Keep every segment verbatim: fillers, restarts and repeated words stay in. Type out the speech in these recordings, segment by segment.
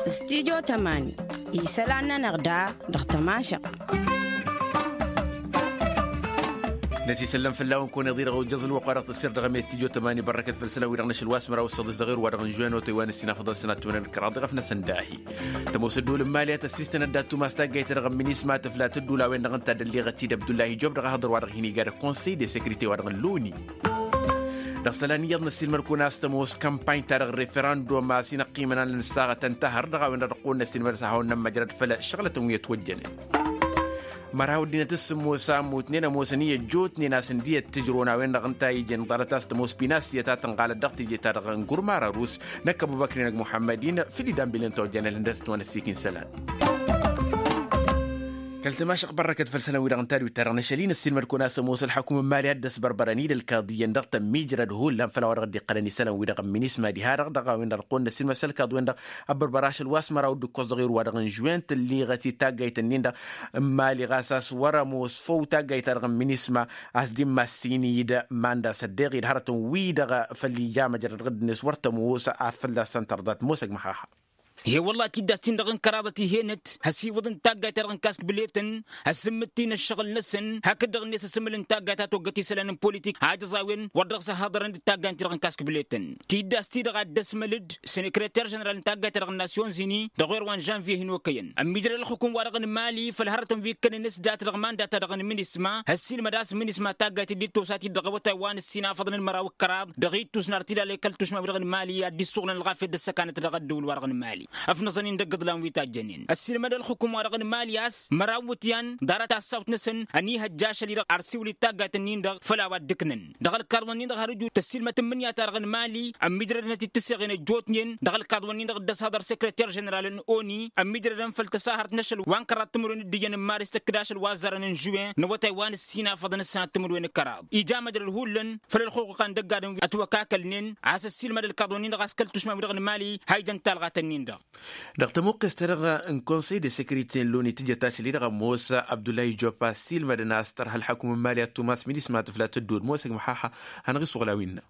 Stidyo tămani isălan-nănăɣ da dăɣ-tămašăɣt. Năsisăllăm fălla-wăn kăwăn-iḍǝy dăɣ-ojjăẓ ǝlwăqq wa dăɣ-tăssir dăɣ-eme stidyo tămani bărrăkăt făll-isălan wi-dăɣ n-ašăl wa s-măraw s-săḍis dăɣ-erwa dăɣ-n žuwen otăy wa n-ǝssin afăḍăn sănat timǝrwen d-kăraḍ dăɣ-afnăsăn dahi. Tămoos ădduul n-mali a tăssistăn ădda tumas taggayt-ta-dăɣ n-minisma tǝfla tăddul a-wen-dăɣ ǝnta a dd-ălliɣăt-dd abdullahi job dăɣ-ahăḍăr wa dăɣ-hin-iga d-ăkkonsăy de sekrite wa dăɣ-n loni. Dăɣ-isălan iyyăḍ năssiilmăd-kăwăn a-s tămoos kămpany-ta-dăɣ n-referandum a-s inăqqimăn a n-ănsaɣăt ăntăhăr dăɣ-a-wen-dăɣ dăɣ-kăwăn-năssiilmăd a-s ad-hawăn-nămmăjrăd făll-ăššăɣlătăn wi ătwăjjănen. Măraw ăddinăt s-sǝmmos a ămmutnen ămoosăn i-ăjjootnen a-s ǝndi ăttǝjrăwăn a-wen-dăɣ ǝnta a ijen ḍarăt a-s tămoos pinasiyăt a tǝnɣalăt dăɣ-teje-ta-dăɣ n-gurmara rus n-ăkkăbubăknen ăgg muḥămmăd-in. Făll-idan bilăn tawăjjănen ǝndăr-s ătwănăssiik n-isălan. Kăl-tămašăɣt bărrăkăt făll-isălan-wi-dăɣ n-tadwit-ta-dăɣ n-ašăl-i năssiilmăd-kăwăn a-s ămoos ălḥăkum n-mali a dd-ăsbărbărăn-dd ălkaḍiyyăn dăɣ-tămmiijrăd hullan făll-a-wa dăɣ-dd-iqqălăn isălan-wi-dăɣ n-minisma diha-dăɣ dăɣ-a-wen-dăɣ dăɣ-kăwăn-năssiilmăd s-ălkaḍ-wen-dăɣ. Ăbbărbăr ašăl wa s-măraw d-ǝkkoẓ dăɣ-irwa dăɣ-n žuwen tǝlliɣăt-dd taggayt-ǝnnin-dăɣ n-mali ɣas a-s wăr-ămoos făw taggayt-ta-dăɣ n-minisma a-s dd-immassǝyni-dd manda s-ăddeɣ-dd hărătăn-wi-dăɣ făll-ija măjrăd dăɣ-dd-net wăr tămoos a fălla-săn tărḍat mosăg măhaha. He wălla tiddas-tin-dăɣ n-kăraḍăt ih'-enăt hăsiwǝḍăn taggayt-ta-dăɣ n-kaskǝbletăn. Ăsǝmmǝt-in ǝššăɣǝl-năsăn hakd-dăɣ-net asǝmǝl n-taggayt a toggăt isălan n-politik a ăjăẓawen wăr dăɣ-s ăhhăḍărăn d-taggayt-ta-dăɣ n-kaskǝbletăn. Tiddas-ti-dăɣ a dd-ăsmăl-dd sănekreter ženeral n-taggayt-ta-dăɣ n-nasyon-ini dăɣ-wăr wa n-žănvye hin-okăyăn ămmiijrăd ălxukum-wa-dăɣ n-mali făll-hărătăn wi ǝkkănen s-dat dăɣ-manda-ta-dăɣ n-minisma. Ăssiilmăd a-s minisma taggayt dd-tosa-t-dd dăɣ-awătay wa n-ǝssin afăḍăn n-măraw d-kăraḍ dăɣ-ittus n-artidal i-kăl-tušma-wi-dăɣ n-mali a dd-issuɣǝlăn ălɣafyăt d-ăssăkanăt dăɣ-ăddăwǝl-wa-dăɣ n-mali. Ăfnăẓăn-in dăgg-iḍlan wi tajjănen ăssiilmăd ălxukum-wa-dăɣ n-mali a-s măraw iwǝtyan ḍarăt assawt-năsăn ăniihăjja ašăl-i-dăɣ ar siwǝl-dd taggayt-ǝnnin-dăɣ făll-a-wa dd-ǝknăn. Dăɣ-ălkaḍ-wen-in-dăɣ har ǝjut tăssiilmăt n-imǝnǝya-ta-dăɣ n-mali ămmiijrădăn-t-dd tǝseɣen ăjjootnen. Dăɣ-ălkaḍ-wen-in-dăɣ dd-ăshăḍăr sekreter ženeral n-oni ămmiijrădăn făll-tăsahărt n-ašăl wa n-kăraḍ timǝrwen d-iyyăn n-maris tăkk d-ašăl wa ăzzarăn n-žuwen n-awătay wa n-ǝssin afăḍăn ǝssanăt timǝrwen d-kăraḍ ija măjrăd hullan. Făll-ălxuqqa n-dăgg-adǝm wi ătwăkakălnen a-s ăssiilmăd ălkaḍ-wen-in-dăɣ a-s kăl-tušma-wi-dăɣ n-mali ha ijăn talɣat-ǝnnin-dăɣ. Dăɣ-tămuqqes-ta-dăɣ n-konsăy de sekrite n-loni tǝjăt ašăl-i-dăɣ ămoos abdullahi jopa ăssiilmădăn a-s tărha ălḥăkum n-mali ad-tumas minisma tǝfla tăddood mosăg măhaha. Hanăɣ-issuɣǝl a-wen-năɣ.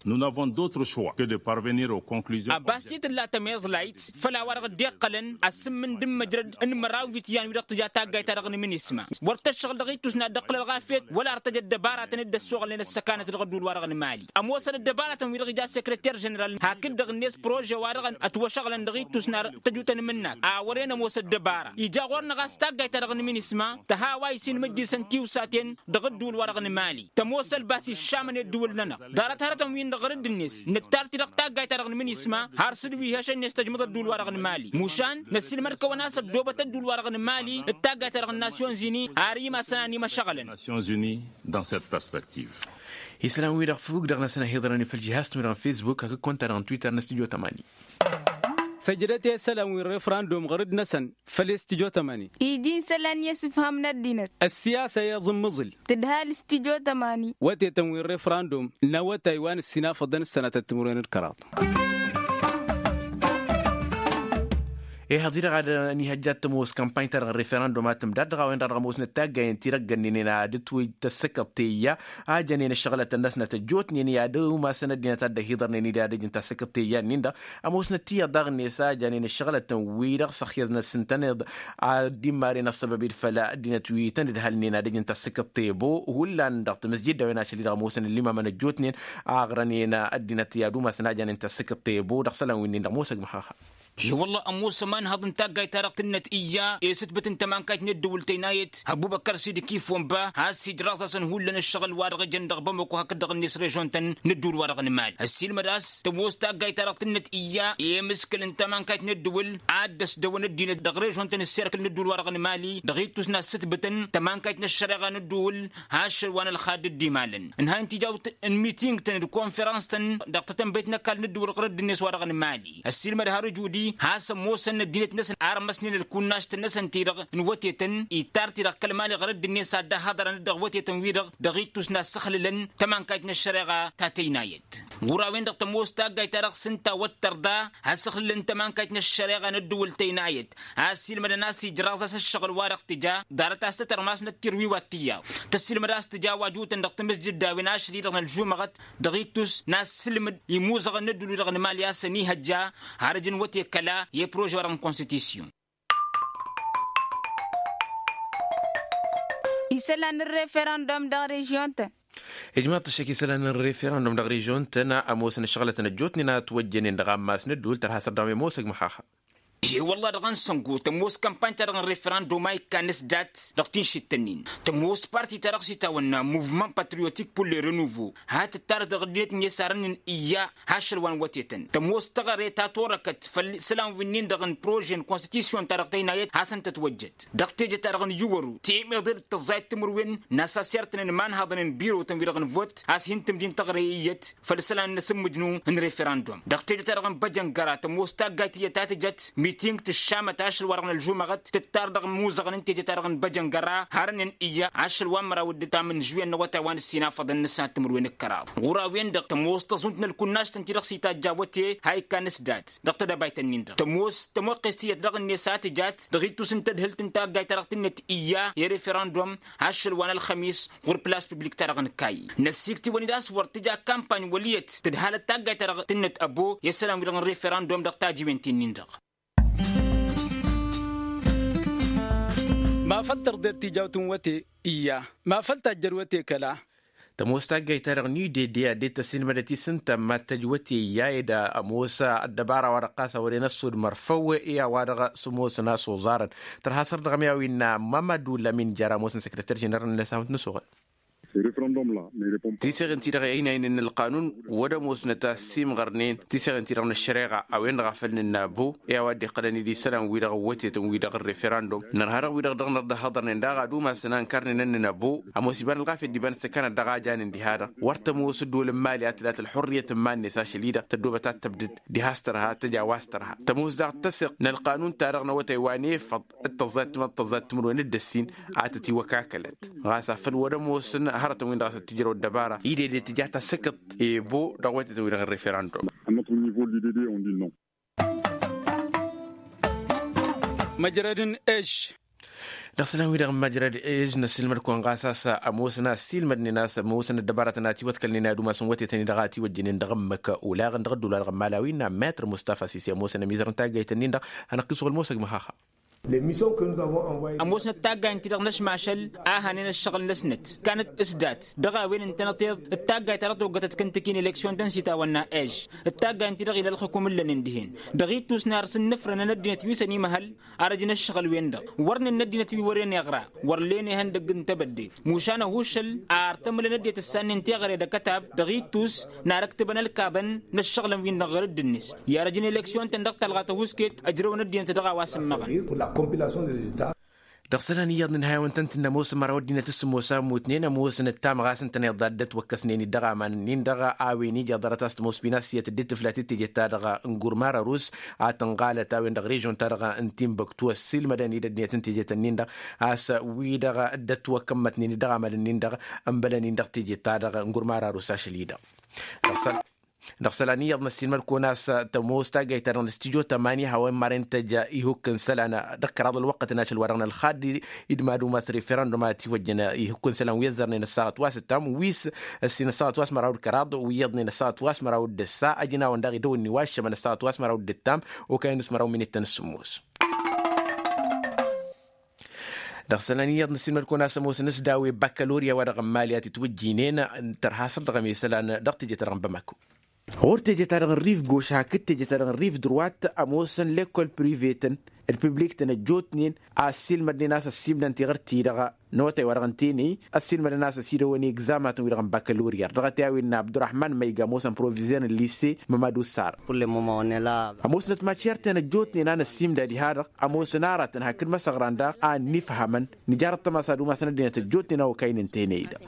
Nous n'avons d'autre choix que de parvenir aux conclusions. Abbas ti tǝlla tămeẓlayt făll-a-wa-dăɣ dd-iqqălăn asǝmmǝn d-ǝmmǝjrăd n-măraw iwǝtyan-wi-dăɣ tǝja taggayt-ta-dăɣ n-minisma. Wăr tăššăɣǝl dăɣ-ittus n-ad-dd-ăqqǝl ălɣafyăt wăla ar tăj ăddăbaratăn dd-ăssoɣălnen ăssăkanăt dăɣ-ădduul-wa-dăɣ n-mali. Ămoosăn ăddăbaratăn-wi-dăɣ ija sekreter ženeral hakd-dăɣ-net prože-wa-dăɣ ătwăšăɣlăn dăɣ-ittus n-ar tăjutăn imǝnnak a wăren ămoos ăddăbara ija ɣur-năɣ a-s taggayt-ta-dăɣ n-minisma tăha a-wa isinmǝjjǝsăn tiwsaten. Dăɣ-ădduul-wa-dăɣ n-mali tămoos ălbas iššamăn i-ădduul-nănăɣ ḍarăt hărătăn-win-dăɣ ɣărădd-net nǝttar-t-dăɣ taggayt-ta-dăɣ n-minisma har s-dd-wi hešăn-net tăjmăḍ ădduul-wa-dăɣ n-mali. Mušan năssiilmăd-kăwăn a-s ăddoobăt ădduul-wa-dăɣ n-mali d-taggayt-ta-dăɣ n-nasyon-zini ar imasăn a n-imăšăɣlăn. Nasyon-zini dans cette perspective. Isălan-wi-dăɣ fug dăɣ-năsăn ăhiḍărăn făll-žihaz-tăn-wi-dăɣ n-fesbuk hakd kăwăn-ta-dăɣ n-twitter n-ăstudyo tămani. Săjdăt i-isălan wi n-refrandum ɣărădd-năsăn făll-i studyo tămani. Iji n-isălan i-ăsǝfham n-ăddinăt. Ăssiyasa i-aẓǝmmǝẓǝl tǝdha ălstudyo tămani. Wătetăn wi n-refrandum n-awătay wa n-ǝssinafăḍăn ǝssănatăt timǝrwen d-kăraḍ. Ehăḍ-i-dăɣ ad-ănihăjja ad-tămoos kampany-ta-dăɣ n-referandum ad-tǝmdad dăɣ-a-wen-dăɣ dăɣ-ămoosnăt taggayen ti-dăɣ-gănnenen ad-ǝtwǝj tăssăkăḍt teyya a jănen ǝššăɣlătăn-năsnăt ăjjootnen i-ad-umasăn ăddinăt ad-dd-ăhiḍărnen-dd ad-ăjǝn tăssăkăḍt teyya-nin-dăɣ. Ămoosnăt tiyyăḍ daɣ-net a jănen ǝššăɣlătăn-wi-dăɣ s-ăxyăẓnăt s-ǝntăneḍ ad-dd-immaren ăṣṣăbăb-dd făll-ăddinăt wi tăn-ǝdhălnen ad-ăjǝn tăssăkăḍt tebo. Hullan dăɣ-tamǝsjed d-a-wen ašăl-i-dăɣ ămoosăn ăllimamăn ăjjootnen aɣrănen ăddinăt i-ad-umasăn a jănen tăssăkăḍt tebo dăɣ-isălan wi-nin-dăɣ mosăg măxăxa. He-wălla ămoos ămanhăḍ n-taggayt-ta-dăɣ tǝnnăt iyya i-sǝtbǝt n-tămankayt n-ăddǝwǝl tăynayăt ăbubăkăr sidiki fonba has-ijraẓ-asăn hullan ǝššăɣǝl-wa-dăɣ ijăn dăɣ-bamăko hakd dăɣ-net režon-tăn n-ădduul-wa-dăɣ n-mali ăssiilmăd a-s tămoos taggayt-ta-dăɣ tǝnnăt iyya i-imǝskǝl n-tămankayt n-ăddǝwǝl ad-dd-ăsdăwăn ăddinăt dăɣ-režon-tăn ǝsserkǝl n-ădduul-wa-dăɣ n-mali dăɣ-ittus n-ad-sǝtbǝtăn tămankayt n-ăššăreɣa n-ăddǝwǝl. Ašăl wa n-ălxadd dd-imalăn ǝnhăyăn tijawt n-miting-tăn d-konferans-tăn dăɣ-tătănbăyt n-ăkall n-ăddǝwǝl ɣur-ăddinăt wa dăɣ-nǝmali ăssiilmăd har ǝjudi has-ămoosăn ăddinăt-năsăn armăsnen ălkunnajt-năsăn-ti-dăɣ n-wătetăn ittar-t-dăɣ kăl-mali ɣur-ăddinăt ad-dd-ăhhăḍărăn dăɣ-wătetăn-wi-dăɣ dăɣ-ittus n-ad-săxlǝlăn tămankayt n-ăššăreɣa ta tăynayăt. Ɣur-a-wen-dăɣ tămoos taggayt-ta-dăɣ s-ǝnta a wăt tărḍa, asǝxlǝl n-tămankayt n-ăššăreɣa n-ăddǝwǝl tăynayăt a ăssiilmădăn a-s ijraẓ-as ăššăɣǝl-wa-dăɣ tǝja ḍarăt a-s tătărmas n-ăttirwiwat tǝyyaḍ. Tăssiilmăd a-s tǝja a-wa jǝwtăn dăɣ-tamǝsjǝd d-a-wen ašăl-i-dăɣ n-ălžumăɣăt dăɣ-ittus n-asǝlmǝd imuzăɣăn n-ăddul-wi-dăɣ n-imali a-s ănihăjja har ǝjǝn wăte kăla i-prože-wa-dăɣ n-konstitisyon. Isălan n-referendum dăɣ-režion-tăn. Ijmaḍ-t ăššăk isălan n-referendum dăɣ-režion-tăn ămoosăn ăššăɣlătăn ăjjootnen a ătwăjjănen dăɣ-ammas n-ăddul tărha sărdăɣăm i-ămoosăg măxaxa. E-wălla-ɣ dăɣ-ănsăngo tămoos kampany-ta-dăɣ n-referendum a ikkan s-dat dăɣ-tinšit-tăn-in. Tămoos parti-ta-dăɣ s-itawănna muvman patriotik pur le renuvo ha tǝttarăt dăɣ-ăddinăt n-esarăn n-iyya ha ašăl wa n-wătetăn. Tămoos teɣăre ta torăkăt făll-isălan wi-nin-dăɣ n-prože n-konstitisyon-ta-dăɣ tăynayăt hasăn-tătwăjjăt dăɣ-teje-ta-dăɣ n-iwăru temeḍe d-tăẓẓayăt timǝrwen n-asasirtăn n-imanhăḍăn n-birotăn-wi-dăɣ n-vot a-s hin-tǝmdin teɣăre iyyăt făll-isălan n-asǝmmǝjnu n-referendum. Dăɣ-teje-ta-dăɣ n-băjăngăra tămoos taggayt iyyăt a tǝjăt miting tǝššamăt ašăl-wa-dăɣ n-ălžumăɣăt tǝttar dăɣ-imuzăɣăn n-teje-ta-dăɣ n-băjăngăra harănnen iyyă ašăl wa n-măraw d-ǝttam n-žuwen n-awătay wa n-ǝssinafăḍăn n-ǝssan timǝrwen d-kăraḍ. Ɣur-a-wen-dăɣ tămoos tăẓunt n-ălkunnajt-tăn-ti-dăɣ s-itajj awăte ha ikkan s-dat dăɣ-tedăbayt-nin-dăɣ tămoos tămoqqest iyyăt dăɣ-net a tǝjat dăɣ-ittus n-tadhǝlt n-taggayt-ta-dăɣ tǝnnăt iyya i-referendum ašăl wa n-ălxămis ɣur-plas piblik-ta-dăɣ n-kayy. Năssiikt-iwăn-dd a-s wăr tǝja kampany wăl' iyyăt tǝdhalăt taggayt-ta-dăɣ tǝnnăt ăbo i-isălan-wi-dăɣ n-referendum dăɣ-tajiwen-ti-nin-dăɣ. Ma făl tărḍet tijawt n-wăte iyya ma făl tajjăd wăte kăla. Tămoos taggayt-ta-dăɣ n-idede a dd-tăsilmădăt-i s-ǝnta ma t-tăj wăte iyya ed ămoos ăddăbara-wa-dăɣ ɣas a wăren ăssud mărfăw i-a-wa-dăɣ s-ămoosăn a-s oẓarăn. Tărha săr-dăɣ ămyaw innă mamădu lamin jăr ămoosăn săkrăter ženeral n-ăsahut n-ăsoɣăl. Tiseɣen-ti-dăɣ ăynaynen n-ălqanun wăr-ămoosnăt a ăssiimɣărnen tiseɣen-ti-dăɣ n-ăššăreɣa a-wen-dăɣ a făl nǝnna ăbo i-a-wa dd-iqqălăn idisălan-wi-dăɣ ăwwătetăn-wi-dăɣ n-referendum. Nărha-dăɣ wi-dăɣ dăɣ-năr dd-ăhhăḍărnen daɣ ad-umasăn a ǝnkărnen ǝnnǝn ăbo ămoos iba n-ălɣafyăt d-iba n-ǝssǝkkanăt dăɣ-a janen diha-dăɣ. Wăr tămoos ăddol n-imali a tǝlat ălxurriyăt n-iman-net ašăl-i-dăɣ tăddoobăt ad-tăbdǝd diha s-tărha tăj a-wa s-tărha tămoos daɣ tăseɣt n-ălqanun-ta-dăɣ n-awătay wa n-efăḍ d-tăẓẓayăt timǝrwen d-ăssin a tăt-iwăkakălăt. Ɣas afăl wăr-ămoosăn hărătăn-win-dăɣ a-s ăttijrăw ăddăbara idede tǝja tasǝkǝḍt i-ăbo dăɣ-wătetăn-wi-dăɣ n-referendum. Măjrăd n-ež. Dăɣ-isălan-wi-dăɣ n-măjrăd ež năssiilmăd-kăwăn ɣas a-s ămoosăn a ăssiilmădnen a-s ămoosăn ăddăbaratăn a ătiwătkălnen ad-umasăn wătetăn-i-dăɣ a ătiwăjjănen dăɣ-ǝmmǝk. Olaɣăn dăɣ-ădduul-wa-dăɣ n-imalawi n-ammetr mustafa sisi ămoosăn ămizăr n-taggayt-nin-dăɣ hanăɣ-t-isuɣǝl mosăg măxaxa. Ămoosnăt taggayt-ti-dăɣ n-ašmašăl a hanen ăššăɣǝl-năsnăt. Kannăt s-dat dăɣ-a-wen ǝntănăteḍ d-taggayt ta dăɣ-toggătăt kǝntǝki n-eleksyon-tăn s-itawănna ež d-taggayt-ti-dăɣ ila ălxǝkum ǝllănen dihen. Dăɣ-ittus n-ar s-ǝnnǝfrănăn ăddinăt wi s-ănimăhăl ar ăj n-ăššăɣǝl-wen-dăɣ wăr nǝnna ăddinăt wi wăren iɣra wăr len ihăndăgg n-tebădde. Mušan ăhuššăl ar tămǝlăn ăddinăt ǝssannen teɣăre d-akătab dăɣ-ittus n-ar ǝktǝbăn ălkaḍăn n-ăššăɣǝlăn-win-dăɣ ɣur-dd-net. I-ar ăj n-eleksyon-tăn dăɣ-talɣa tăhuusket ăjrăwăn ăddinăt dăɣ-a-wa s-ǝmmăɣăn. Dăɣ-isălan iyyăḍ n-inhayawăn-tăn-tǝnna ămoosăn măraw ăddinăt s-sǝmmos a ămmutnen ămoosnăt tamɣast ǝntăneḍ a dd-ătwăkkăsnen-dd dăɣ-aman-nin-dăɣ a-wen ija ḍarăt a-s tămoos pinasiyăt dd-tǝflat d-tejet-ta-dăɣ n-gurmar ărus a tǝnɣalăt a-wen-dăɣ režion-ta-dăɣ n-timbuktu ăssiilmădăn-dd ăddinăt n-tejet-nin-dăɣ a-s wi-dăɣ dd-ătwăkkămmătnen-dd dăɣ-aman-nin-dăɣ ǝnbălăn-in dăɣ-tejet-ta-dăɣ n-gurmar ărus ašăl-i-dăɣ. Dăɣ-isălan iyyăḍ n-ăssiilmăd-kăwăn a-s tămoos taggayt-ta-dăɣ n-studyo tămani hawăn-maren tăj ihukk n-isălan dăɣ-kăraḍ ălwăqqăt n-ašăl wa dăɣ-nălxad. Idmad umas referendum a ătiwăjjăn ihukk n-isălan wi ăzzărnen ăssaɣăt wa s-ǝttam wi s-ăssin ăssaɣăt wa s-măraw d-kăraḍ wi iyyăḍnen ăssaɣăt wa s-măraw d-ǝssa ăjnawăn daɣ idăwănni wa ăššămăn ăssaɣăt wa s-măraw d-ǝttam. Okăyăn s-măraw minităn s-sǝmmos. Dăɣ-isălan iyyăḍ n-ăssiilmăd-kăwăn a-s ămoosăn s-dawe bakălorya wa dăɣ-n mali a t-itwǝjjinen tărha săr dăɣ-emesălan dăɣ-teje-ta-dăɣ n-bamako. Ɣur-teje-ta-dăɣ n-rif goš hakd teje-ta-dăɣ n-rif drăwat ămoosăn lekol privetăn d-piblik-tăn ăjjootnen a ăssiilmădnen a-s ăssiimdăn tiɣǝrt-ti-dăɣ n-awătay wa dăɣ-ǝnta enăy ăssiilmădăn a-s ăsidăwăn egzamatăn-wi-dăɣ n-bakălorya dăɣ-t i-a-wen n-abdurăhman măyga ămoosăn provizer n-lise mămadu sar. Ămoosnăt mačerten ăjjootnen a năssiimda diha-dăɣ ămoosăn aratăn hakd măsăɣran daɣ a ănnifhamăn nǝjarăt tămasa d-umasăn ăddinăt ăjjootnen a okaynen teney-dăɣ.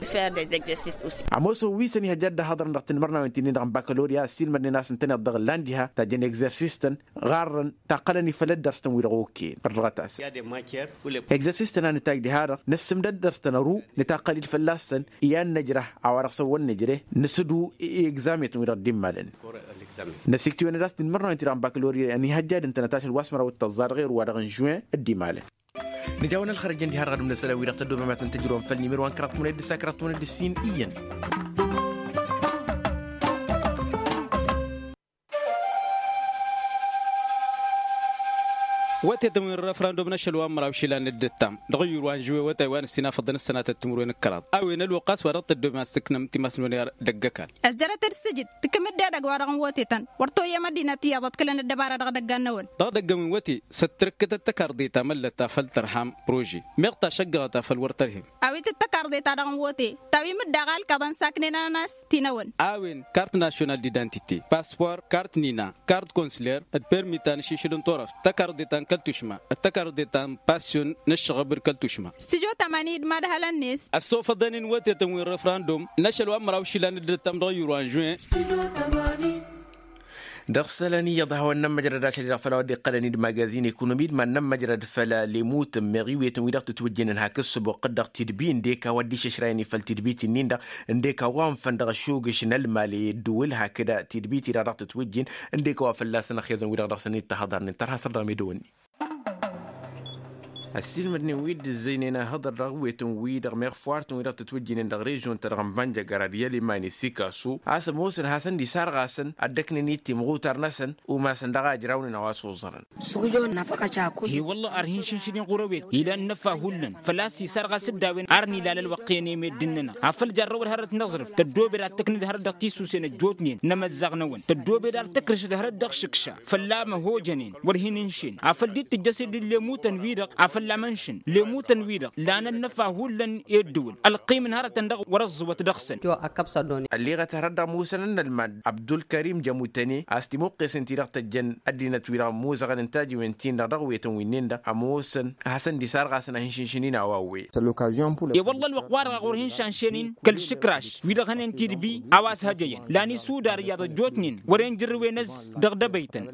Ămoosăn wi s-ănihăjja ad-dd-ăhhăḍărăn dăɣ-tinmărnawen ti-nin-dăɣ n-bakălorya ăssiilmădnen a-s ǝntăneḍ dăɣ-ǝllan diha tajjăn egzersis-tăn ɣarrăn taqqălăn ifăl ăddărs-tăn wi-dăɣ okăyăn ărdăɣăt-asăn. Egzersis-tăn a nǝtajj diha-dăɣ. s-tǝmdăr dăr-s tănăru nǝtaqqăl-dd fălla-săn i-ad-nǝjrăh a-wa-dăɣ s-ăwwăl nǝjreh nǝsǝdu i-egzame-tăn-wi-dăɣ dd-immalăn. Năsiktǝwăn-dd a-s tinmărnawen-ti-dăɣ n-bakălorya ănihăjjadăn-tăn ad-t-ašăl wa s-măraw d-tăẓẓa dăɣ-erwa dăɣ-n žuin dd-imalăn. Nǝja-wăn ălxărăj ǝndiha dăɣ-ad-ǝmnăsălăn wi-dăɣ tăddomem ad-tăn-tǝjrǝwăm făll-nimăro wa n-kăraḍ timǝnăy d-ǝssa kăraḍ timǝnăy d-ǝssin iyyăn. Wătetăn wi n-refrandum n-ašăl wa n-măraw išilan d-ǝttam dăɣ-ǝyyur wa n-žuwe wătay wa n-ǝssin afăḍăn ǝssănatăt timǝrwen d-kăraḍ a-wen ălwăqq a-s wa dăɣ-tăddomem ad-tǝknăm timasnăwen i-ad-ăggăkal. Ăzjărăt-dd s-ǝjǝd tǝkkǝm-dd edăgg wa dăɣ-n wătetăn wăr toyyăm ăddinăt iyyăḍ ăḍkǝlăn ăddăbară dăɣ-edăgg-annăwăn. Dăɣ-edăgg-ǝnwǝn wăte s-ăttărǝkkătăt tăkarḍe ta măllăt ta făll-tărham prože meɣ tašăggăɣăt afăl wăr tărhem. A-wen tǝttăkarḍe ta dăɣ-n wăte ta wi mǝdda ɣalkăḍăn saknen-anăn a-s tinăwăn. A-wen kart nasyonal d-idantite, paspor, kart nina, kart konsler, d-permi ta n-ašišǝl n-turăft, tăkarḍe ta n-kăl-tušma, d-tăkarḍe ta n-pasyon n-ǝššăɣăb d-kăl-tušma. Stujo tamani d-madhălăn-net. Ăssofăḍăn-in wătetăn wi n-refrandum n-ašăl wa n-măraw išilan d-ǝttam dăɣ-ǝyyur wa n-žuin. Dăɣ-isălan iyyăḍ a hawăn-nămmăjrăd ašăl-i-dăɣ făll-a-wa dd-iqqălăn-dd magazin ekonomi d-iman-nămmăjrăd făll-lemutăn meɣ iwetăn wi-dăɣ tǝtwǝjjǝnăn hak ǝssǝbuqq-dd dăɣ-tidbi ǝndek a-wa dd-išăšrayăn i-făll-tidbit-nin-dăɣ ǝndek a-wa ǝnfăn dăɣ-ašugǝš n-ălmal i-ǝddǝwǝl hakd tidbit-i-dăɣ dăɣ-tǝtwǝjjǝn ǝndek a-wa fălla-săn ăxyăẓăn wi-dăɣ dăɣ-săn-dd-tahăḍarnen tărha săr dăɣ-medăwănni. Ăssiilmădnen wi dd-ǝzzăynen ahǝḍăr dăɣ-iwetăn-wi-dăɣ meɣ făw artăn wi-dăɣ tǝtwǝjjǝnen dăɣ-režion-ta-dăɣ n-bănjăgăra d-i-ălimani sikasu a-s ămoosăn ad-hasăn-dd-isarɣasăn ad-dd-ăknăn i-timɣutar-năsăn umasăn daɣ a ǝjrawnen a-wa s-oẓărăn. He-wălla ar hin-šǝnšǝn-in ɣur-ewet ila ănnăfa hullan făl-a-s isarɣas-dd a-wen ar nǝla ălwăqq i-ănem i-dd-ǝnnănăɣ afăl jarrăwăd hărăt n-aẓrǝf tăddoobed ad-tǝknǝd hărăt dăɣ-tisusen ăjjootnen n-emăzzaɣ-năwăn tăddoobed ad-tǝkrǝšăd hărăt dăɣ-išǝkša fălla-măhojănen wăr hin-ǝnšen afăl dd-tǝjjăsed d-lemutăn-wi-dăɣ afăl amănšǝn lemutăn-wi-dăɣ lan ănnăfa hullan i-ǝddǝwǝl ălqim n-hărătăn-dăɣ wăr-ăẓẓǝwăt dăɣ-săn. Ălleɣăt hărăt dăɣ-musăn n-ălmad abdulkărim jămutăne a-s timuqqesen-ti-dăɣ tăjjăn ăddinăt-wi-dăɣ ămmuẓăɣăn n-tajiwen-tin-dăɣ dăɣ-wetăn wi-nin-dăɣ ămoosăn ad-hasăn-dd-isarɣasăn ad-hin-šǝnšǝn-in a-wa ăwweyăt. Ălwăqq wa-dăɣ a ɣur-hin-šanšen-in kăl-išǝkraš wi-dăɣ hănen tidbi a-wa s-hăjăyăn lan isudar iyyăḍ ăjjootnen wăren jǝrrǝwen ăzz dăɣ-dăbăytăn.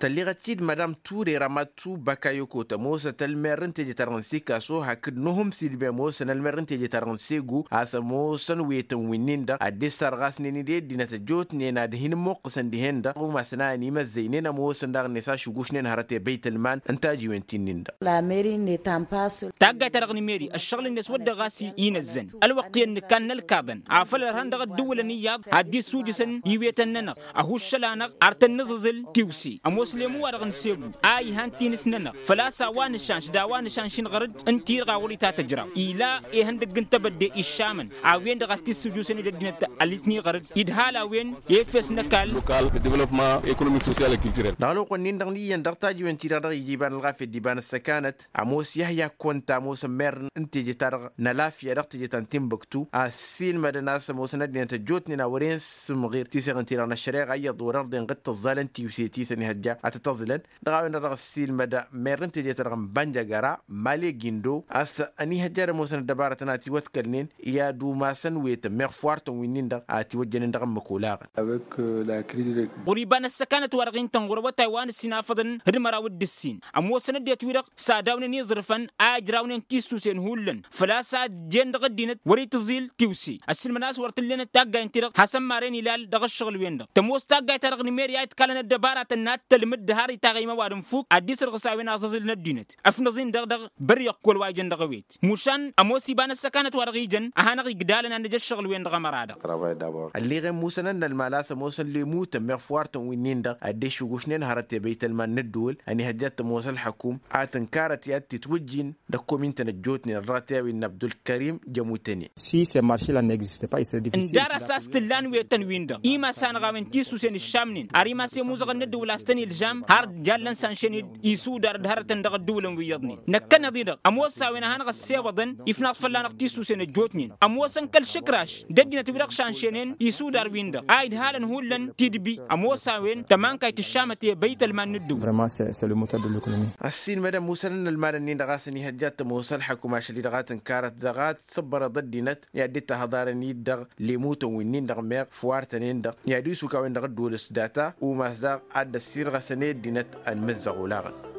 Tălleɣăt-dd madam ture ramatu bakayoko tămoosăt ălmer n-teje-ta-dăɣ n-sikaso hakd nuhǝm sidbe ămoosăn ălmer n-teje-ta-dăɣ n-segu a-s ămoosăn wetăn wi-nin-dăɣ ad-dd-issărɣasnen-dd i-ăddinăt ăjjootnen ad-hin-ǝmmuqqǝsăn dihen-dăɣ umasăn a ănimăzzăynen ămoosăn daɣ-net ašǝgušnen hărăt i-băytălman n-tajiwen ti-nin-dăɣ. Taggayt-ta-dăɣ n-meri ăššăɣǝl-net wăr dăɣ-ɣas inăzzăn ălwăqq iyyăn nǝkkan n-ălkaḍăn afăl ărhan dăɣ-ăddǝwǝlăn iyyăḍ ad-dd-isujǝsăn iwetăn-nănăɣ ăhuššăl-anăɣ ar tăn-nǝẓǝẓǝl tiwse ămoos lemu-wa-dăɣ n-segu a ihan tinǝs-nănăɣ făl-a-s a-wa nǝšanš d-a-wa nǝšanš-in ɣăr-dd ǝnta-i-dăɣ a wăr-itatăjraw ila ihăndăgg n-tebădde iššamăn a-wen-dăɣ a-s t-issǝjusăn-dd ăddinăt alitni ɣăr-dd idhal a-wen efes n-ăkall. Lokal de developpement ekonomik sosyal culturel. Dăɣ-ălwăqq-nin-dăɣ n-iyyăn dăɣ-tajiwen-ti-dăɣ dăɣ-ija iba n-ălɣafyăt d-iba n-ăssăkanăt ămoos yăhya konta ămoosăn mer n-teje-ta-dăɣ n-ălafya dăɣ-teje ta n-tinbuktu a ăssiilmădăn a-s ămoosăn ăddinăt ăjjootnen a wăren sǝmɣir tiseɣen-ti-dăɣ n-ăššăreɣa iyyăḍ wăr-ărḍen ɣǝd tǝẓẓalăn tiwse ti s-ănihăjja ad-tăt-ăẓǝlăn. Dăɣ-a-wen-dăɣ dăɣ-ăssiilmăd mer n-teje-ta-dăɣ n-bănjăgăra male gindo a-s ănihăjja ad-ămoosăn ăddăbarătăn a tiwătkălnen i-ad-umasăn wetăn meɣ făw artăn wi-nin-dăɣ a tiwăjjănen dăɣ-ǝmmǝk olaɣăn. Ɣur-iba n-ăssăkanăt-wa-dăɣ intăn ɣur-awătay wa n-ǝssin afăḍăn d-măraw d-ǝssin ămoosăn ăddinăt-wi-dăɣ s-ad-awnen iẓrǝfăn a ijrawnen tisusen hullan făl-a-s a jen dăɣ-ăddinăt wăr-itǝẓil tiwse ăssiilmăd a-s wăr t-ǝllenăt taggayt n-ti-dăɣ hasăn-maren ilal dăɣ-ǝššăɣǝl-wen-dăɣ tămoos taggayt-ta-dăɣ n-meri a itkalăn ăddăbaratăn n-ad-tălmǝd d-har itaɣ i-imăwadǝm fuk ad-dd-isărɣǝs a-wen aẓǝẓǝl n-ăddinăt ăfnăẓ-in-dăɣ dăɣ-băr iqqol wa ijăn dăɣ-ewet mušan ămoos iba n-ăssăkanăt wa dăɣ-ijăn a hanăɣ-igdalăn ad-nǝj ăššăɣǝl-wen-dăɣ ămăra-dăɣ. Ălleɣen musăn ănnălmal a-s ămoosăn lemutăn meɣ făw artăn wi-nin-dăɣ ad-dd-eššugǝšnen hărăt i-băytălman n-ǝddǝwǝl ănihăjja ad-tămoos ălxăkum ad-tǝnkarăt i-ad-tǝtwǝjjin d-ăkkomin-tăn ăjjootnen ălratew innă abdulkărim jămutăne. Si se maršel a n-egziste pa isădifis. Ǝnda-dăɣ a-s tǝllan wetăn-win-dăɣ imas-anăɣ a-wen tisusen ǝššamnen ar imas i-ămuzăɣăn n-ǝddǝwǝl a-s tăn-ilžam har jallăn s-anšen-dd isudar d-hărătăn dăɣ-ăddǝwǝlăn wi iyyăḍnen năkkăneḍ-i-dăɣ ămoos a-wen a hanăɣ-ăssewăḍăn ifnaḍ fălla-năɣ tisusen ăjjootnen ămoosăn kăl-išǝkraš d-ăddinăt wi-dăɣ šanšenen isudar-win-dăɣ a idhalăn hullan tidbi ămoos a-wen tămankayt ǝššamăt i-băytălman n-ǝddǝwǝl. Ăssiilmădăn musăn ănnălmal-nin-dăɣ a-s ănihăjja ad-tămoos ălxăkum ašăl-i-dăɣ a tǝnkarăt dăɣ-ad-sǝbbărăḍ ăddinăt i-ad-dd-tahăḍarăn-dd dăɣ-lemutăn wi-nin-dăɣ meɣ făw artăn-en-dăɣ i-ad-isuk a-wen-dăɣ ǝddǝwǝl s-data umas daɣ ad-dd-ăssirɣăsăn i-ăddinăt ănmǝzzăɣ olaɣăn.